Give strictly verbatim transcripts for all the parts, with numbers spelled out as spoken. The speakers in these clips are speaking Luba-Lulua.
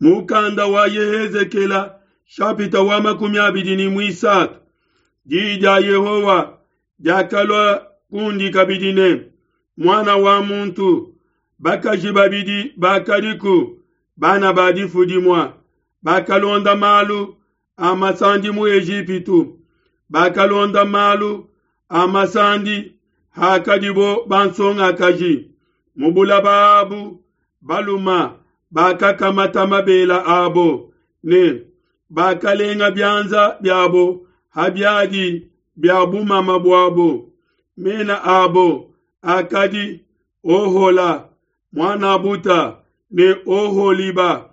Mukanda wa Yehezekela shapita wa makumi abidi ne muisatu. Diyi dia Yehowa diakalua kundi kabidi ne, muana wa muntu, bakaji babidi bakadiku bana ba difu dimue bakalonda malu a masandi mu Ejipitu, bakalonda malu a masandi hakadibo bansongakaji. Mu bulaba abu baluma bakakamata mabela abo ne bakalenga bianza biabo ha biadi bia bumama buabo. Mena abo akadi Ohola muanabuta ne Oholiba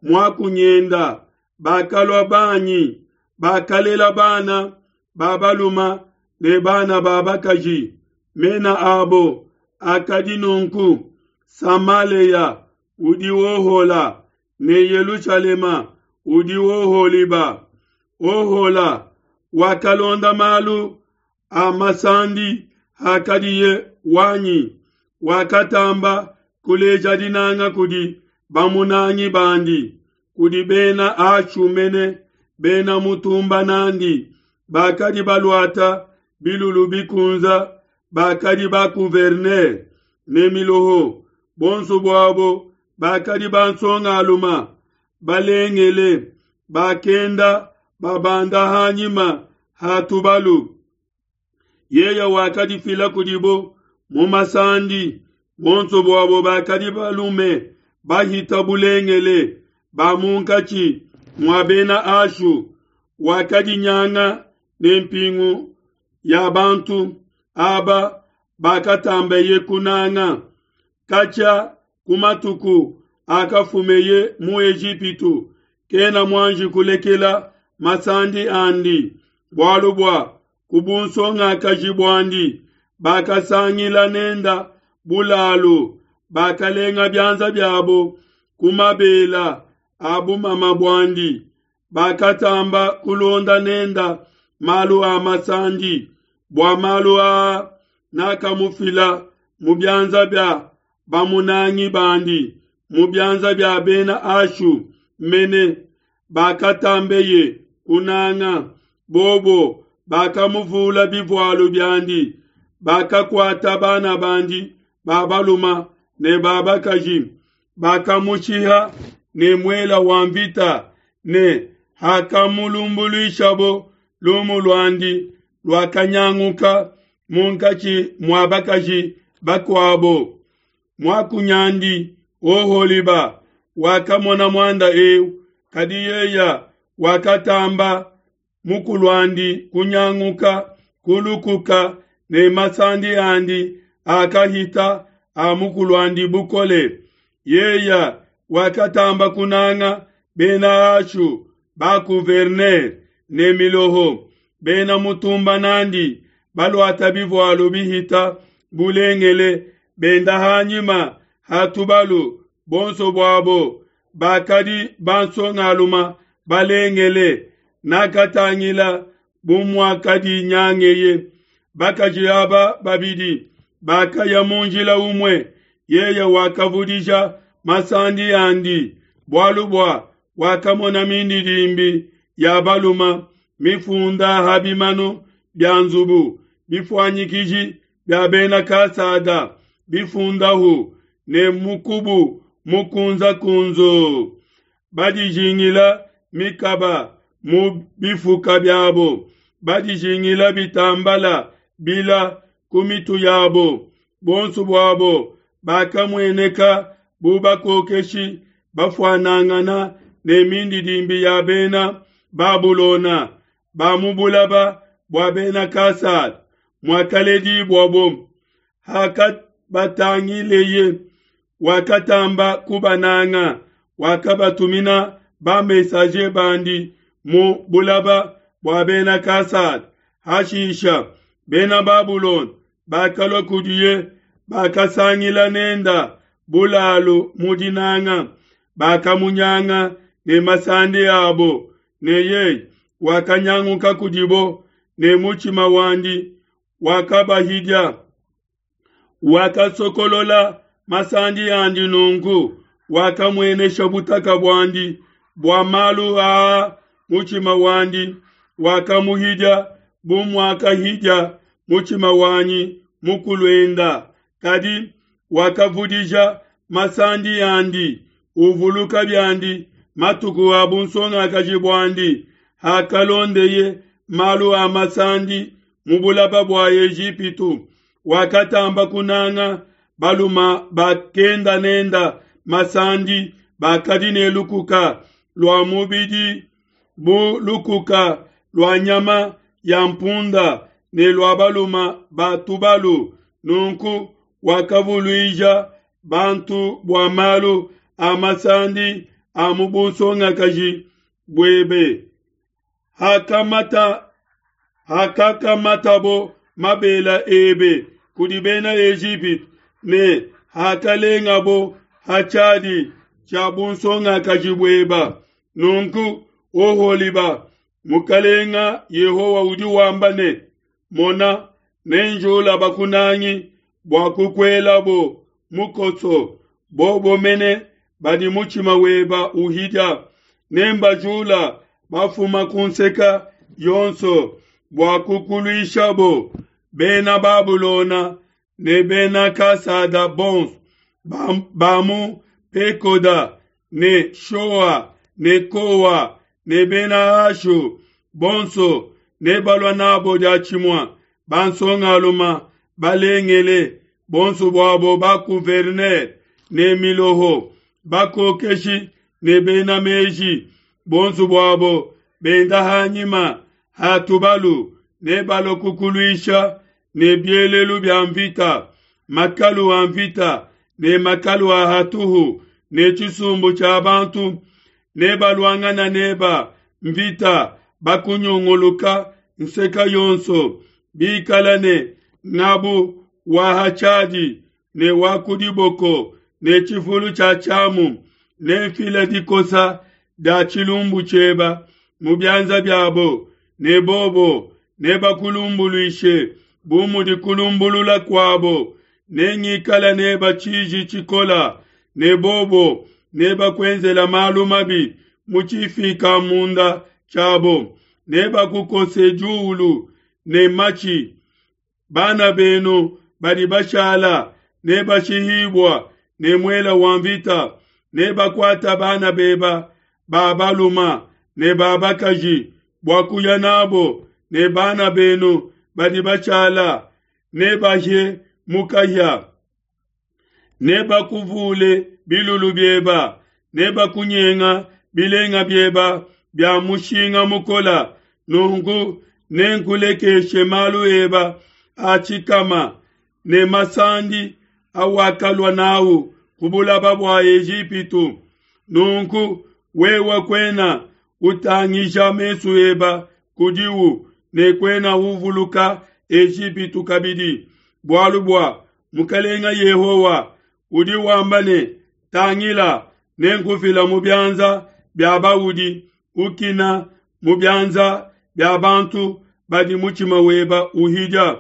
muakunyenda. Bakalua banyi, bakalela bana ba baluma ne bana ba bakaji. Mena abo akadi nunku: Samaleya udi Ohola ne Yelushalema udi Oholiba. Ohola wakalonda malu a masandi hakadiye wanyi, wakatamba kuleja dinanga kudi bamunangi bandi, kudi bena Ashu mene, bena mutumba nandi, bakadi baluata bilulu bikunza, bakadi ba gouverneur ne miloho. Bonso buabo bakadi bansongaluma balengele, bakenda babanda hanyima ha tubalu. Yeye wakadifila kudibo mu masandi. Bonso buabo bakadi balume bahita bulengele ba munkatshi mua bena Ashu. Wakadinyanga ne mpingu ya bantu aba bakatambeye kunanga. Katshia ku matuku akafumeye mu Ejipitu, kena muanji kulekela masandi andi, bualu bua ku bunsongakaji buandi bakasangila nenda bulalu, bakalenga bianza biabo ku mabela a bumama buandi, bakatamba kulonda nenda malu a masandi. Bua malu aa nakamufila mu bianza bia bamunangi bandi, mu bianza bia bena Ashu mene bakatambeye kunanga. Bobo bakamuvula bivualu biandi, bakakuata bana bandi ba baluma ne ba bakaji, bakamushiha ne muela wa mvita, ne hakamulumbuluishabo lumu luandi luakanyanguka munkatshi mua bakaji bakuabo. Muakunyandi Oholiba wakamona muanda eu, kadi yeya wakatamba mukuluandi kunyanguka kulukuka ne masandi andi akahita a mukuluandi bukole. Yeya wakatamba kunanga bena Ashu ba gouverneur ne miloho, bena mutumba nandi, baluata bivualu bihita bulengele, benda hanyima ha tubalu. Bonso buabo bakadi bansongaluma balengele. Nakatangila bu muakadinyangeye. Bakaji aba babidi bakaya mu njila umue. Yeye wakavudija masandi andi, bualu bua wakamona mindidimbi ya baluma mifunda ha bimanu bia nzubu, bifuanyikiji bia bena Kasada bifundahu ne mukubu mukunza-kunzu, badijingila mikaba mu bifuka biabo, badijingila bitambala bila ku mitu yabo. Bonso buabo bakamueneka bu bakokeshi bafuanangana ne mindidimbi ya bena Babulona ba mu bulaba bua bena Kasada muakaledibuabo. Hakabatangileye, wakatamba kubananga, wakabatumina ba messager bandi mu bulaba bua bena Kasada. Hashisha bena Babulona bakalua kudiye, bakasangila nenda bulalu mu dinanga, bakamunyanga ne masandi abo, ne yeye wakanyanguka kudibo, ne mutshima wandi wakabahidia. Wakasokolola masandi andi nunku, wakamuenesha butaka buandi. Bua malu aa mutshima wandi wakamuhidia bu muakahidia mutshima wanyi mukuluenda. Kadi wakavudija masandi andi, uvuluka biandi matuku a bunsongakaji buandi, hakalondeye malu a masandi mu bulaba bua Ejipitu. Wakatamba kunanga baluma bakenda nenda masandi, bakadi ne lukuka lua mubidi bu lukuka lua nyama ya mpunda ne lua baluma ba tubalu. Nunku wakavuluija bantu bua malu a masandi a mu bunsongakaji buebe. Hakamata hakakamatabo mabela ebe kudi bena Ejipitu ne hakalengabo ha tshiadi tshia bunsongakaji bueba. Nunku Oholiba, Mukalenga Yehowa udi wamba ne, Mona, nenjula bakunangi bua kukuelabo mukoso, bobo mene badi mutshima weba uhidia. Nembajula bafuma ku nseka yonso bua kukuluishabo, bena Babulona ne bena Kasada bonso ba mu Pekoda ne Shoa ne Koa ne bena Ashu bonso nebalua nabo diatshimue, bansongaluma balengele bonso buabo ba gouverneur ne miloho, bakokeshi ne bena meji, bonso buabo benda hanyima ha tubalu, nebalua kukuluisha ne bielelu bia mvita, makalu a mvita ne makalu a hatuhu ne tshisumbu tshia bantu. Nebaluangana neba mvita bakunyunguluka nseka yonso, bikala ne ngabu wa ha tshiadi ne wa ku diboko ne tshifulu tshia tshiamu. Nenfila dikosa dia tshilumbu tshieba mu bianza biabo, ne bobo nebakulumbuluishe bu mudi kulumbulula kuabo. Nengikala neba tshiji tshikola, ne bobo nebakuenzela malu mabi mu tshifika munda tshiabo. Nebakukose diulu ne matshi. Bana benu badi bashala nebashihibua ne muela wa mvita. Nebakuata bana beba ba baluma ne ba bakaji bua kuya nabo, ne bana benu badi bashala nebahie mukahia. Nebakuvule bilulu bieba, nebakunyenga bilenga bieba bia mushinga mukola. Nunku nenkulekeshe malu eba a tshikama ne masandi awakalua nawu ku bulaba bua Ejipitu. Nunku wewe kwena utangija mesu eba kudiwu ne kwena uvuluka Ejipitu kabidi. Bualu bua Mukalenga Yehowa udi wamba ne, Tangila, nenkufila mu bianza bia baudi ukina, mu bianza bia bantu badi mutshima weba uhidia.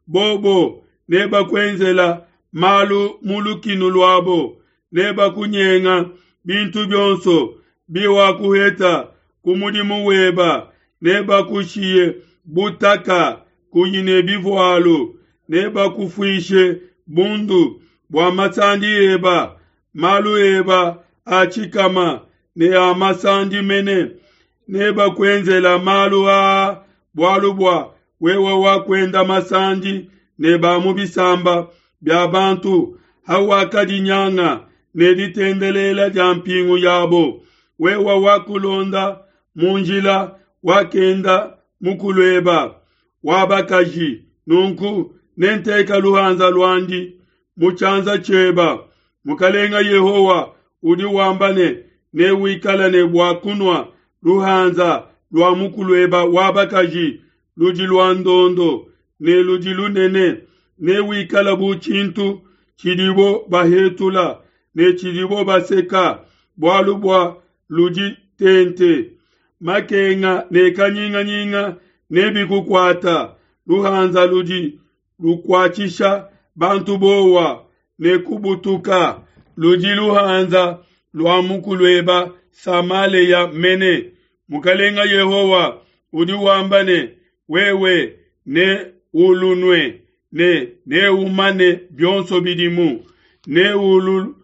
Bobo nebakuenzela malu mu lukinu luabo, nebakunyenga bintu bionso biwakuheta ku mudimu weba, nebakushiye butaka kuyi ne bivualu, nebakufuishe bundu bua masandi eba, malu eba a tshikama ne a masandi mene. Nebakuenzela malu aa bualu bua wewe wakuenda masandi ne ba mu bisamba bia bantu, hawakadinyanga ne ditendelela dia mpingu yabo. Wewe wakulonda mu njila wakenda mukulueba wa bakaji. Nunku nenteka luhanza luandi mu tshianza tshieba. Mukalenga Yehowa udi wamba ne, newikala ne bua kunua luhanza lua mukulueba wa bakaji ludi lua ndondo ne ludi lunene. Newikala bu tshintu tshidibo bahetula ne tshidibo baseka, bualu bua ludi tente. Makenga ne kanyinganyinga nebikukuata. Luhanza ludi lukuatshisha bantu bowa ne kubutuka, ludi luhanza lua mukulueba Samalea mene. Mukalenga Yehowa udi wamba ne, wewe neulunue ne neumane bionso bidimu, neulu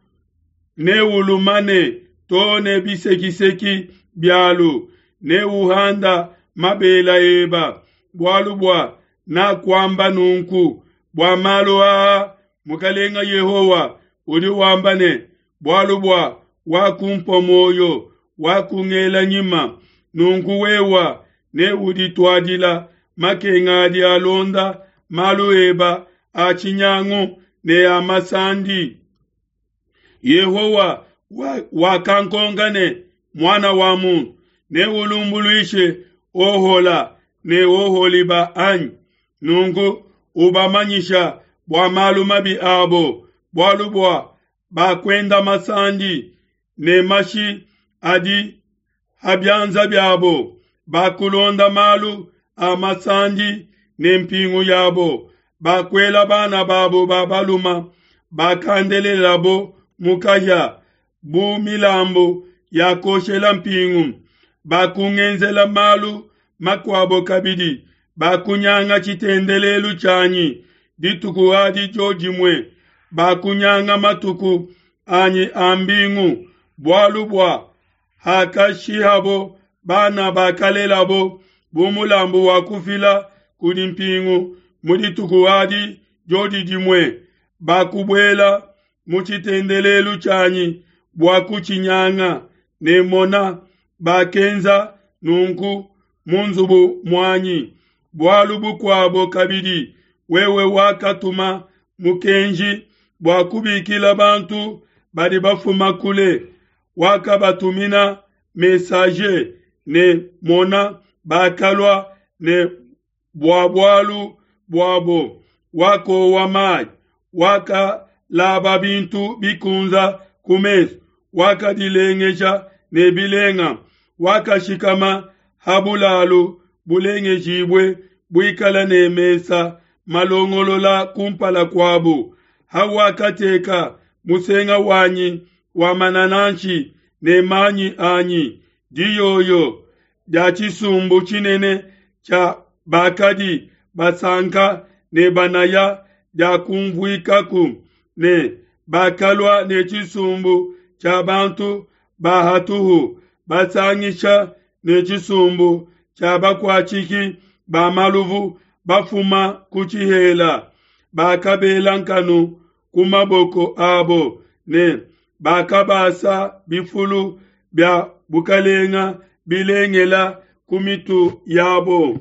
neulumane to ne bisekiseki bialu, neuhanda mabela eba, bualu bua nakuamba nunku. Bua malu aa Mukalenga Yehowa udi wamba ne, bualu bua wakumpua muoyo, wakungela nyima, nunku wewa neudituadila makenga adi alonda malu eba a tshinyangu ne a masandi. Yehowa wakankonka ne, muana wa muntu, neulumbuluishe Ohola ne Oholiba anyi? Nunku ubamanyisha bua malu mabi abo, bualu bua bakuenda masandi ne mashi adi ha bianza biabo, bakulonda malu a masandi ne mpingu yabo, bakuela bana babo ba baluma bakandelelabo mu kahia bu milambu ya koshela mpingu, bakungenzela malu makuabo kabidi, bakunyanga tshitendelelu tshianyi dituku adi diodimue, bakunyanga matuku anyi a mbingu, bualu bua hakashihabo bana bakalelabo bu mulambu wa kufila kudi mpingu mu dituku adi diodi dimue, bakubuela mu tshitendelelu tshianyi bua kutshinyanga, ne mona bakenza nunku mu nzubu muanyi. Bualu bukuabo kabidi, wewe wakatuma mukenji bua kubikila bantu badi bafuma kule, wakabatumina messager, ne mona bakalua, ne bua bualu buabo wakowa mayi, wakalaba bintu bikunza ku mesu, wakadilengeja ne bilenga, wakashikama ha bulalu bulengejibue buikala ne mesa malongolola kumpala kuabo, hawakateka musenga wanyi wa manananshi ne manyi anyi, diyoyo dia tshisumbu tshinene tshia bakadi basanka ne banaya diakumvuikaku, ne bakalua ne tshisumbu tshia bantu ba hatuhu basangisha ne tshisumbu tshia bakuatshiki ba maluvu bafuma ku tshihela, bakabela nkanu ku maboko abo ne bakabasa bifulu bia bukalenga bilengela ku mitu yabo.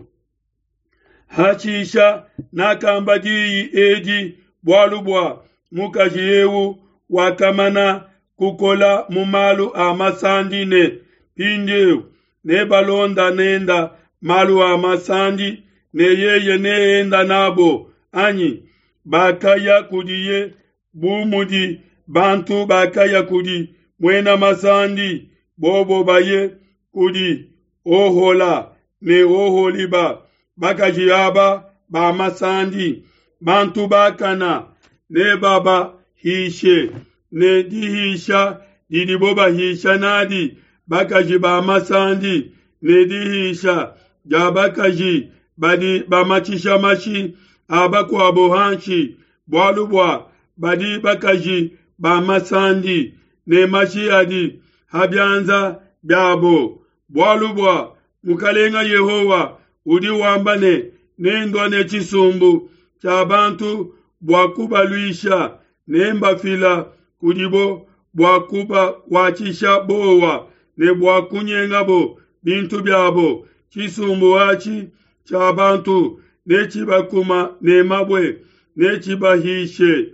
Hashisha nakamba diyi edi bualu bua mukaji eu wakamana kukola mu malu a masandi ne mpindieu nebalonda nenda malu a masandi ne yeye neenda nabo anyi? Bakaya kudiye bu mudi bantu bakaya kudi muena masandi, bobo baye kudi Ohola ne Oholiba, bakaji aba ba masandi. Bantu bakana nebabahishe ne dihisha didibo bahisha nadi bakaji ba masandi, ne dihisha dia bakaji badi bamatshisha mashi a bakuabo hanshi, bualu bua badi bakaji ba masandi ne mashi adi ha bianza biabo. Bualu bua Mukalenga Yehowa udi wamba ne, nendua ne tshisumbu tshia bantu bua kubaluisha, nembafila kudibo bua kubakuatshisha bowa ne bua kunyengabo bintu biabo. Tshisumbu atshi tshia bantu netshibakuma ne mabue, netshibahishe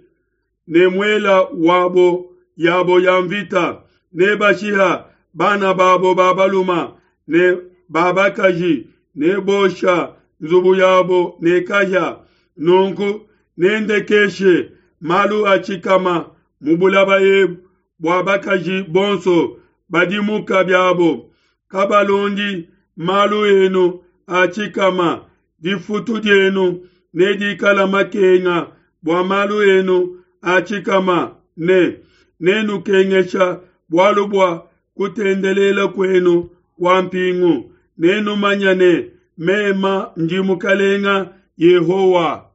ne muela wabo yabo ya mvita, nebashiha bana babo ba baluma ne babakaji, nebosha nzubu yabo ne kahia. Nunku nendekeshe malu a tshikama mu bulaba ebu bua bakaji bonso badimuka biabo, kabalondi malu enu a tshikama. Difutu dienu nedikala makenga bua malu enu a tshikama, ne nenukengesha bualu bua kutendelela kuenu kua mpingu, nenumanye ne, Meme ndi Mukelenge Yehowa.